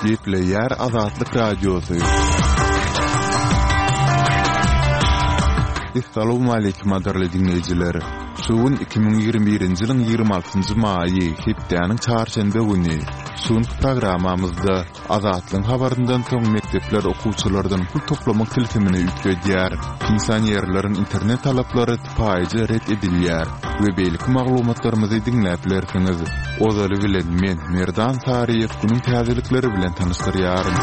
Gepleýär Azatlyk Radiosy. Essalawmaleýkim gadyrly diňleýjiler! Şu gün 2021-nji ýylyň 26-njy maýy, hepdäniň çarşenbe güni. Şu günki programmamyzda Azatlygyň habaryndan soň mekdepler okuwçylardan pul toplamak tilsimini üýtgedýär, pensionerleriň internet talaplary sypaýyja ret edilýär we beýleki maglumatlarymyzy diňläp bilersiňiz. Ozaly bilen men, Merdan Saryýew günüň täzelikleri bilen tanyşdyrýaryn.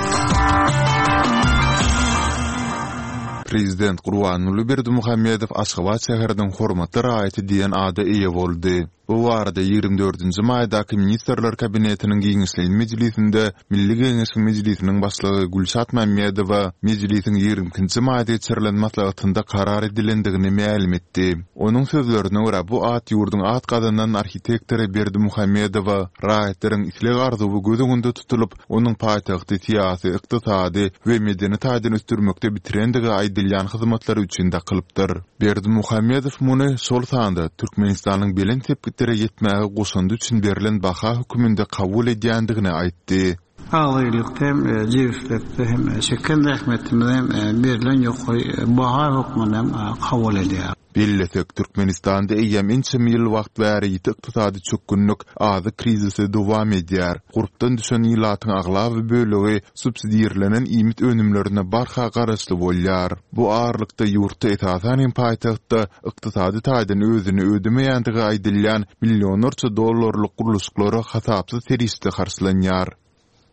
Prezident Gurbanguly Berdimuhamedow Aşgabat şäheriniň hormatly raýaty diýen ada eýe boldy. Bu barada 24-nji maýdaky Ministrler Kabinetiniň giňişleýin mejlisinde Milli Geňeşiň Mejlisiniň Başlygy Gülşat Mämmedowa mejlisiň 22-nji maýda geçirilen maslahatynda karar edilendigini mälim etdi. Onuň sözlerine görä, bu at ýurduň at gazanan arhitektory Berdimuhamedowa raýatlaryň isleg-arzuwy göz öňünde tutulyp, onuň paýtagty syýasy, ykdysady we medeni taýdan ösdürmekde bitirendigi aýdylýan hyzmatlary üçin dakylypdyr. Berdimuhamedow muny, şol sanda, Türkmenistanyň belent sepgitlere ýetmäge goşandy üçin berlen baha hökmünde kabul edýändigini aýtdy. Agzybirlikde hem, jebislikde hem çeken zähmetimize hem berlen ýokary baha hökmünde hem kabul edýäris. Bellesek, Türkmenistanda eýýäm ençeme ýyl wagt bäri ýiti ykdysady çökgünlik, azyk krizisi dowam edýär. Gurpdan düşen ilatyň aglaba bölegi subsidirlenen iýmit önümlerine barha garaşly bolýar. Bu aralykda ýurtda, esasan hem paýtagtda ykdysady taýdan özüni ödemeýändigi aýdylýan millionlarça dollarlyk gurluşyklara hasapsyz serişde harçlanýar.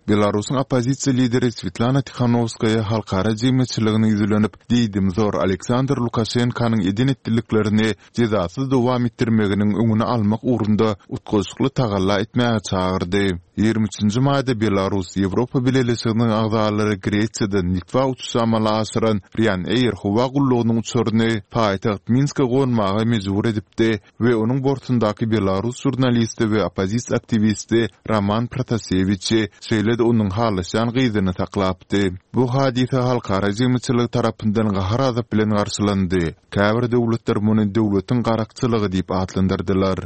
Belarusyň oppozisiýa lideri Swetlana Tihanowskaýa halkara jemgyýetçiligine ýüzlenip, diýdimzor Aleksandr Lukaşenkanyň eden-etdiliklerini jezasyz dowam etdirmeginiň öňüni almak ugrunda utgaşykly tagalla etmäge çagyrdy. 23-nji maýda Belarus Ýewropa Bileleşiginiň agzalary Gresiýadan Litwa uçuşy amala aşyran Ryanair howa gullugynyň uçaryny paýtagt Minske gonmaga mejbur edipdi we onuň bortundaky belarus žurnalisti we oppozisiýa aktiwisti Roman Protasewiçi, şeýle-de onuň halaşýan gyzyny saklapdy. Bu hadysa halkara jemgyýetçiligi tarapyndan gahar-gazap bilen garşylandy. Käbir döwletler muny döwletiň garakçylygy diýip atlandyrdylar.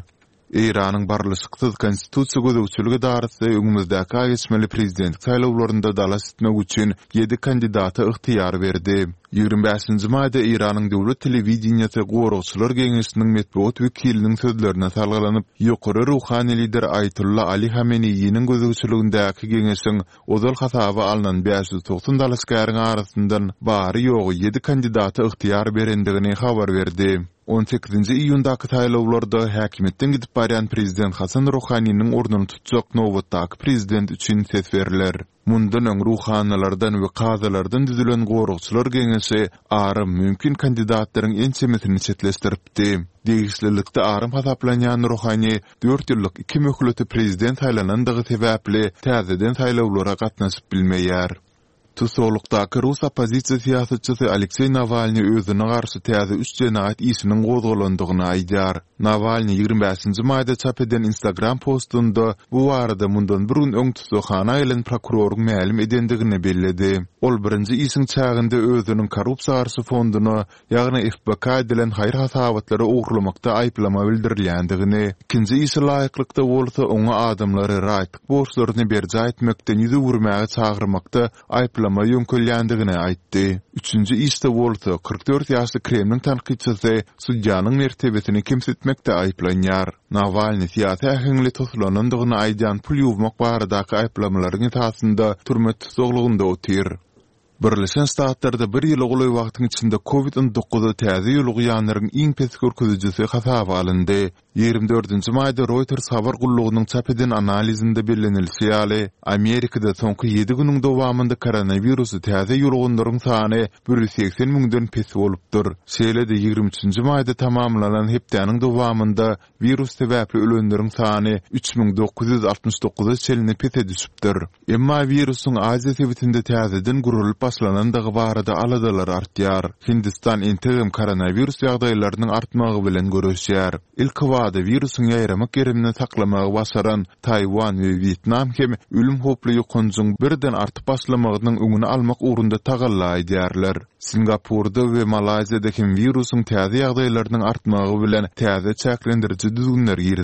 Eýranyň barlyşyksyz Konstitusiýa gözegçilik edarasy öňümizdäki aý geçmeli prezidentlik saýlawlarynda dalaş etmek üçin ýedi kandidata ygtyýar berdi. 25-nji maýda Eýranyň döwlet telewideniýesi Goragçylar geňeşiniň metbugat wekiliniň sözlerine salgylanyp, ýokary ruhany lider Aýatolla Ali Hameneýiniň gözegçiligindäki geňeşiň ozal hasaba alnan 590 dalaşgäriň arasyndan bary-ýogy ýedi kandidata ygtyýar berendigini habar berdi. On sekizinji iýundaky saýlawlarda häkimiýetden gidip barýan prezident Hasan Ruhaniniň ornuny tutjak nobatdaky prezident üçin ses berler. Mundan öň ruhanylardan we kazylardan düzülen Goragçylar geňeşi aram mümkin kandidatlaryň ençemesini çetleşdiripdi. Degişlilikde aram hasaplanýan Ruhani dört ýyllyk iki möhlete prezident saýlanandygy sebäpli täzeden saýlawlara gatnaşyp bilmeýär. Tussaglykdaky rus oppozisiýa syýasatçysy Alekseý Nawalnyý özüne garşy täze üç jenaýat işiniň gozgalandygyny aýdýar. Nawalnyý 25-nji maýda çap eden Instagram postunda bu barada mundan bir gün öň tussaghana gelen prokuroryň mälim edendigini belledi. Ol birinji işiň çäginde özüniň korrupsiýa garşy fonduna ýagny FBK edilen haýyr-hasabatlary ogurlamakda aýyplama bildirilýändigini, ikinji işe laýyklykda bolsa oňa adamlary raýatlyk borçlaryny berjaý etmekden ýüz öwürmäge çagyrmakda aýyplama ýöňkelýändigini aýtdy. Üçünji işde bolsa, 44 ýaşly Kremliň tankytçysy sudýanyň mertebesini kemsitmekde aýyplanýar. Nawalnyý syýasy äheňli toslanandygyny aýdýan pul ýuwmak baradaky aýyplamalaryň esasynda türme tussaglygynda otyr. Birleşen Ştatlarda bir ýyla golaý wagtyň içinde Covid 19-a täze ýolugýanlaryň iň pes görkezijisi hasaba alyndy. 24-nji maýda Reuters habar gullugynyň çap eden analizinde bellenilişi ýaly, Amerikada soňky ýedi günüň dowamynda koronawirusy täze ýoluganlaryň sany 180 müňden pes bolupdyr. Şeýle-de, 23-nji maýda tamamlanan hepdäniň dowamynda Wirus sebäpli ölenleriň sany 3969-a çenli pese düşüpdir. Emma wirusyň Aziýa sebitinde täzeden gurlup başlanandygy barada aladalar artýar. Hindistan entegem koronawirus ýagdaýlarynyň artmagy bilen göreşýär. Ilkibada wirusyň ýaýramak gerimini saklamagy başaran Taýwan we Wýetnam hem ölüm howply ýokanjyň birden artyp başlamagynyň öňüni almak ugrunda tagalla edýärler. Singapurda we Malaýziýada hem wirusyň täze ýagdaýlarynyň artmagy bilen täze çäklendiriji düzgünler girizildi.